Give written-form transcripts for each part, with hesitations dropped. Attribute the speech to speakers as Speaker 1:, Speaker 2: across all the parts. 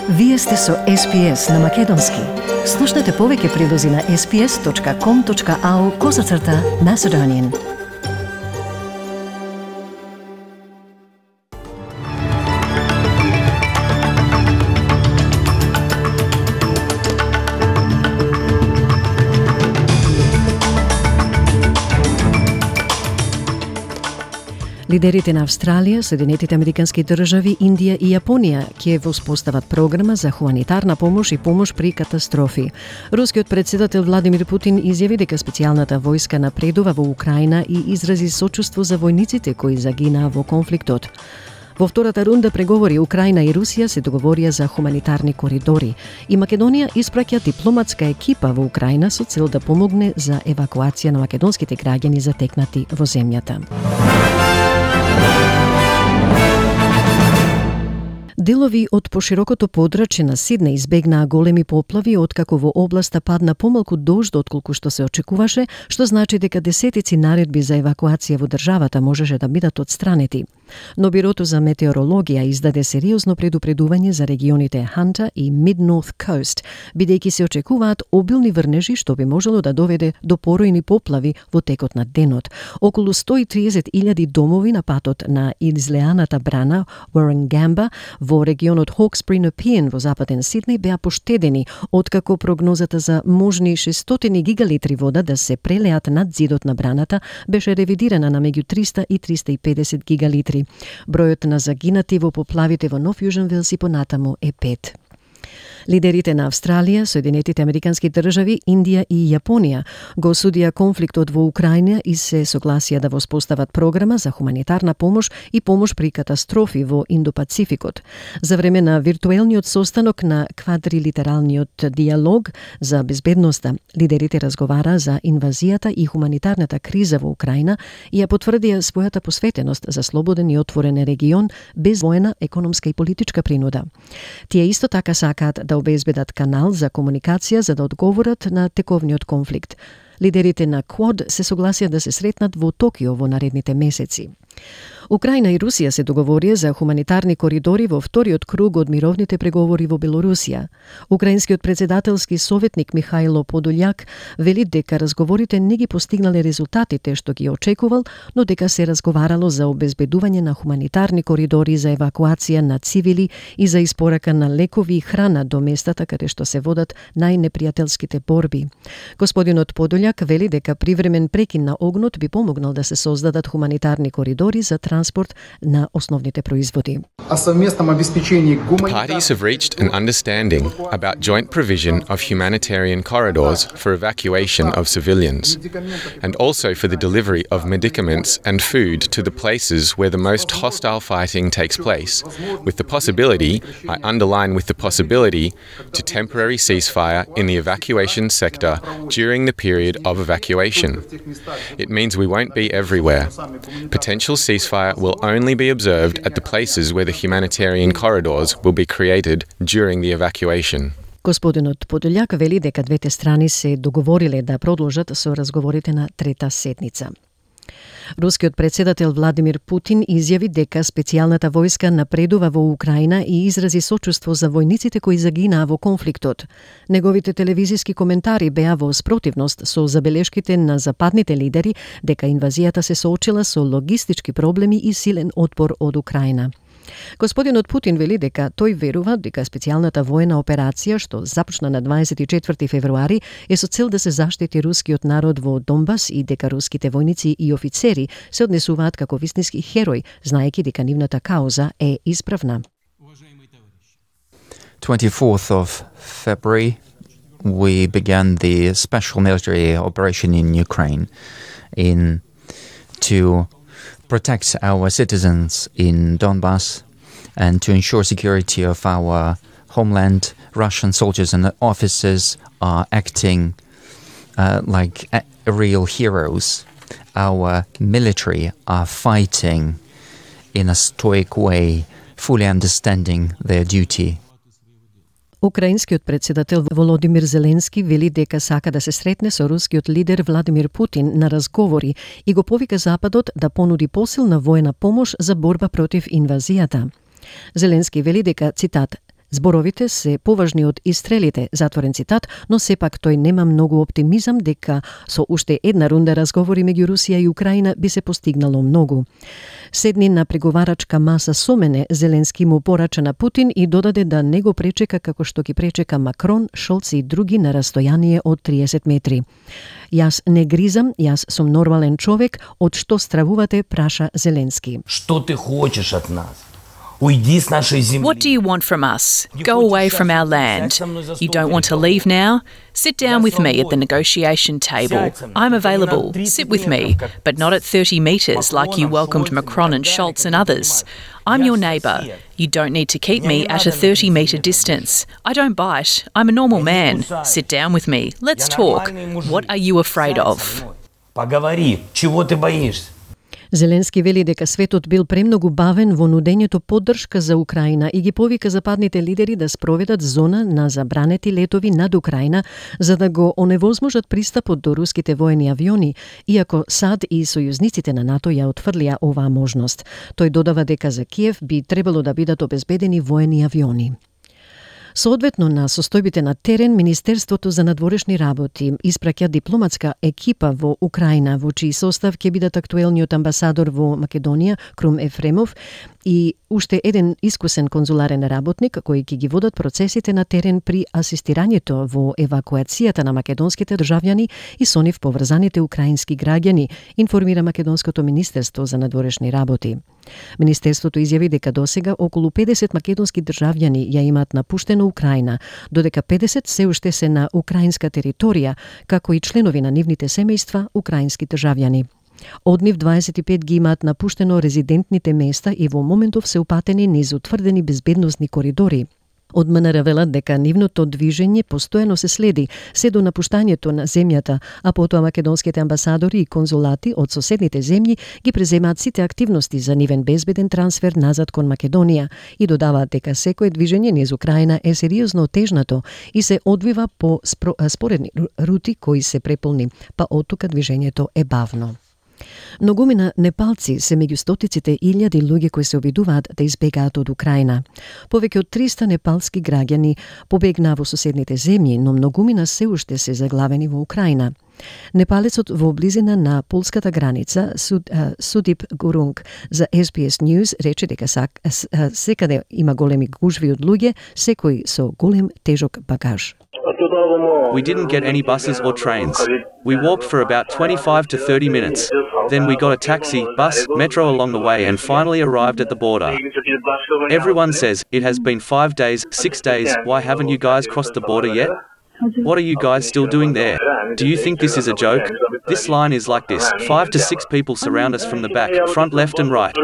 Speaker 1: Вие сте со SPS на Македонски. Слушнете повеќе прилози на sps.com.au/Macedonian. Лидерите на Австралија, Соединетите Американски држави, Индија и Јапонија ќе воспостават програма за хуманитарна помош и помош при катастрофи. Рускиот председател Владимир Путин изјави дека специјалната војска напредува во Украина и изрази сочувство за војниците кои загинаа во конфликтот. Во втората рунда преговори Украина и Русија се договорија за хуманитарни коридори и Македонија испраќа дипломатска екипа во Украина со цел да помогне за евакуација на македонските граѓани затекнати во земјата. Делови од поширокото подрачје на Сиднеј избегнаа големи поплави откако во областа падна помалку дожд отколку што се очекуваше, што значи дека десетици наредби за евакуација во државата можеше да бидат отстранети. Но Бирото за метеорологија издаде сериозно предупредување за регионите Ханта и Mid-North Coast, бидејќи се очекуваат обилни врнежи што би можело да доведе до поројни поплави во текот на денот. Околу 130.000 домови на патот на излеаната брана Warragamba во регионот Hawkesbury-Nepean во западен Сиднеј беа поштедени, откако прогнозата за можни 600 гигалитри вода да се прелеат над зидот на браната беше ревидирана на меѓу 300 и 350 гигалитри. Бројот на загинати во поплавите во Нов Јужен Велс и понатаму е 5. Лидерите на Австралија, Соединетите Американски држави, Индија и Јапонија го осудија конфликтот во Украина и се согласија да воспостават програма за хуманитарна помош и помош при катастрофи во Индо-Пацификот. За време на виртуелниот состанок на квадрилитералниот диалог за безбедноста, лидерите разговараа за инвазијата и хуманитарната криза во Украина и ја потврдија својата посветеност за слободен и отворен регион без воена, економска и политичка принуда. Тие исто така сакаат да обезбедат канал за комуникација за да одговорат на тековниот конфликт. Лидерите на Квад се согласија да се сретнат во Токио во наредните месеци. Украина и Русија се договорија за хуманитарни коридори во вториот круг од мировните преговори во Белорусија. Украинскиот председателски советник Михајло Подољак вели дека разговорите не ги постигнале резултатите што ги очекувал, но дека се разговарало за обезбедување на хуманитарни коридори за евакуација на цивили и за испорака на лекови и храна до местата каде што се водат најнепријателските борби. Господинот Подољак вели дека привремен прекин на огнот би помогнал да се создадат хуманитарни коридори за транспорт на основните производи.
Speaker 2: Parties have reached an understanding about joint provision of humanitarian corridors for evacuation of civilians, and also for the delivery of medicaments and food to the places where the most hostile fighting takes place, with the possibility, I underline with the possibility, to temporary ceasefire in the evacuation sector during the period of evacuation. It means we won't be everywhere. Potential ceasefire will only be observed at the places where the humanitarian corridors will be created during the evacuation.
Speaker 1: Господинот Подољак вели дека двете страни се договориле да продолжат со разговорите на трета седница. Рускиот председател Владимир Путин изјави дека специјалната војска напредува во Украина и изрази сочувство за војниците кои загинаа во конфликтот. Неговите телевизиски коментари беа во спротивност со забелешките на западните лидери дека инвазијата се соочила со логистички проблеми и силен отпор од Украина. Господинот Путин вели дека тој верува дека специјалната воена операција што започна на 24 февруари е со цел да се заштити рускиот народ во Донбас и дека руските војници и офицери се однесуваат како вистински херои, знаејќи дека нивната кауза е исправна.
Speaker 3: 24th of February we began the special military operation in Ukraine to protect our citizens in Donbas and to ensure security of our homeland. Russian soldiers and officers are acting like real heroes. Our military are fighting in a stoic way, fully understanding their duty.
Speaker 1: Украинскиот председател Володимир Зеленски вели дека сака да се сретне со рускиот лидер Владимир Путин на разговори и го повика Западот да понуди посилна воена помош за борба против инвазијата. Зеленски вели дека, цитат, Зборовите се поважни од истрелите, затворен цитат, но сепак тој нема многу оптимизам дека со уште една рунда разговори меѓу Русија и Украина би се постигнало многу. Седни на преговарачка маса со мене, Зеленски му порача на Путин и додаде да не го пречека како што ги пречека Макрон, Шолц и други на растојание од 30 метри. Јас не гризам, јас сум нормален човек, од што стравувате, праша Зеленски.
Speaker 4: Што ти хочеш од нас? Уйди с нашей земли.
Speaker 5: What do you want from us? Go away from our land. You don't want to leave now? Sit down with me at the negotiation table. I'm available. Sit with me, but not at 30 metres like you welcomed Macron and Scholz and others. I'm your neighbour. You don't need to keep me at a 30-metre distance. I don't bite. I'm a normal man. Sit down with me. Let's talk. What are you afraid of?
Speaker 4: Поговори, чего ты боишься?
Speaker 1: Зеленски вели дека светот бил премногу бавен во нудењето поддршка за Украина и ги повика западните лидери да спроведат зона на забранети летови над Украина за да го оневозможат пристапот до руските воени авиони, иако САД и сојузниците на НАТО ја отфрлија оваа можност. Тој додава дека за Киев би требало да бидат обезбедени воени авиони. Соодветно на состојбите на терен, Министерството за надворешни работи испраќа дипломатска екипа во Украина, во чиј состав ќе бидат актуелниот амбасадор во Македонија, Крум Ефремов, и уште еден искусен конзуларен работник кој ќе ги водат процесите на терен при асистирањето во евакуацијата на македонските државјани и со нив поврзаните украински граѓани, информира Македонското Министерство за надворешни работи. Министерството изјави дека досега околу 50 македонски државјани ја имаат напуштено Украина, додека 50 се уште се на украинска територија, како и членови на нивните семејства украински државјани. Од нив 25 ги имаат напуштено резидентните места и во моментов се упатени низ утврдени безбедносни коридори. Од МНР велат дека нивното движење постојано се следи се до напуштањето на земјата, а потоа македонските амбасадори и конзулати од соседните земји ги преземаат сите активности за нивен безбеден трансфер назад кон Македонија и додаваат дека секое движење низ Украина е сериозно отежнато и се одвива по споредни рути кои се преполни, па оттука движењето е бавно. Многумина непалци се меѓу стотиците илјади луѓе кои се обидуваат да избегаат од Украина. Повеќе од 300 непалски граѓани побегнаа во соседните земји, но многумина се уште се заглавени во Украина. Непалецот во близина на полската граница, Судип Гурунг, за SBS News рече дека секаде има големи гужви од луѓе, секој со голем тежок багаж.
Speaker 6: We didn't get any buses or trains. We walked for about 25 to 30 minutes. Then we got a taxi, bus, metro along the way and finally arrived at the border. Everyone says, it has been 5 days, 6 days, why haven't you guys crossed the border yet? What are you guys still doing there? Do you think this is a joke? This line is like this. 5 to 6 people surround us from the back, front, left and right.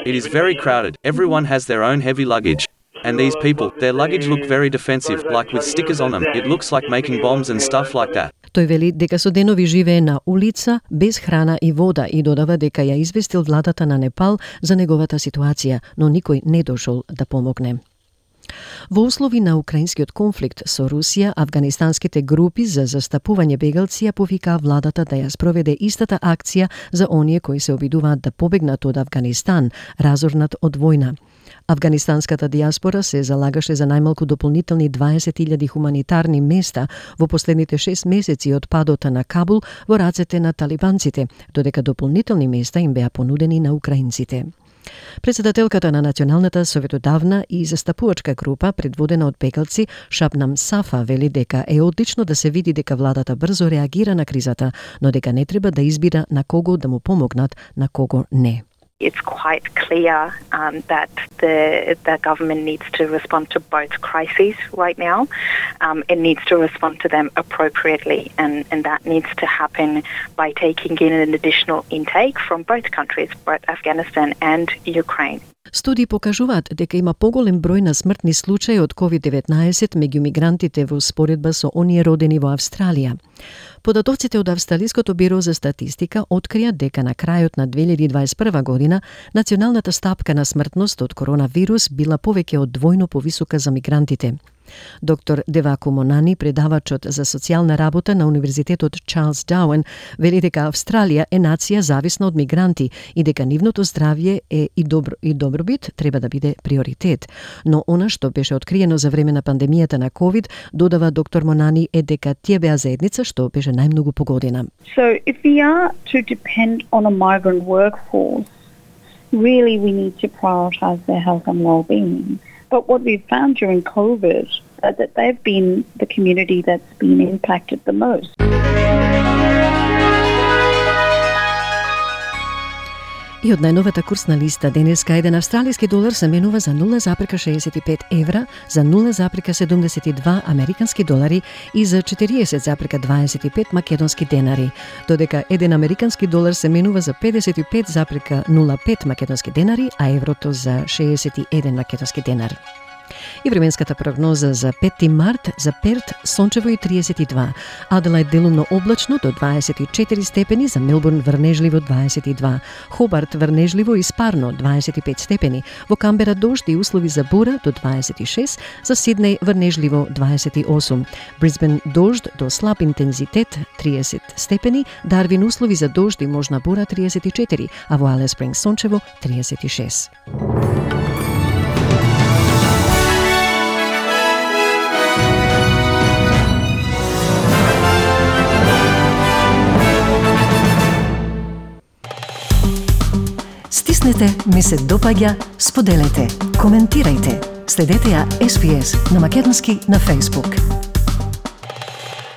Speaker 6: It is very crowded. Everyone has their own heavy luggage. And these people, their luggage look very defensive, like with stickers on them. It looks like making bombs and stuff like that.
Speaker 1: Тој вели дека со денови живее на улица, без храна и вода и додава дека ја известил владата на Непал за неговата ситуација, но никој не дошол да помогне. Во услови на украинскиот конфликт со Русија, афганистанските групи за застапување бегалци ја повикаа владата да ја спроведе истата акција за оние кои се обидуваат да побегнат од Афганистан, разорнат од војна. Афганистанската диаспора се залагаше за најмалку дополнителни 20.000 хуманитарни места во последните 6 месеци од падот на Кабул во рацете на талибанците, додека дополнителни места им беа понудени на украинците. Председателката на Националната советодавна и застапувачка група, предводена од бегалци, Шабнам Сафа, вели дека е одлично да се види дека владата брзо реагира на кризата, но дека не треба да избира на кого да му помогнат, на кого не.
Speaker 7: It's quite clear that the government needs to respond to both crises right now. It needs to respond to them appropriately, and that needs to happen by taking in an additional intake from both countries, both Afghanistan and Ukraine.
Speaker 1: Студии покажуваат дека има поголем број на смртни случаи од COVID-19 меѓу мигрантите во споредба со оние родени во Австралија. Податоците од Австралиското биро за статистика открија дека на крајот на 2021 година националната стапка на смртност од коронавирус била повеќе од двојно повисока за мигрантите. Доктор Девако Монани, предавачот за социјална работа на Универзитетот Чарлс Дауен, вели дека Австралија е нација зависна од мигранти и дека нивното здравје и добробит треба да биде приоритет. Но она што беше откриено за време на пандемијата на COVID, додава доктор Монани, е дека тие беа заедница што беше најмногу погодена.
Speaker 8: So if we are to depend on a migrant workforce, really we need to prioritise their health and well-being. But what we've found during COVID is that they've been the community that's been impacted the most.
Speaker 1: И од најновата курсна листа денеска еден австралиски долар се менува за 0,65 евра, за 0,72 американски долари и за 40,25 македонски денари, додека еден американски долар се менува за 55,05 македонски денари, а еврото за 61 македонски денар. И временската прогноза за 5 март за Перт сончево и 32, Аделаид делумно облачно до 24 степени, за Мелбурн врнежливо 22, Хобарт врнежливо и спарно 25 степени, во Камбера дожд и услови за бура до 26, за Сиднеј врнежливо 28, Брисбен дожд до слаб интензитет 30 степени, Дарвин услови за дожд и можна бура 34, а во Алиас Спрингс сончево 36. Стиснете, ми се допаѓа, споделете, коментирајте. Следете ја SPS на македонски на Facebook.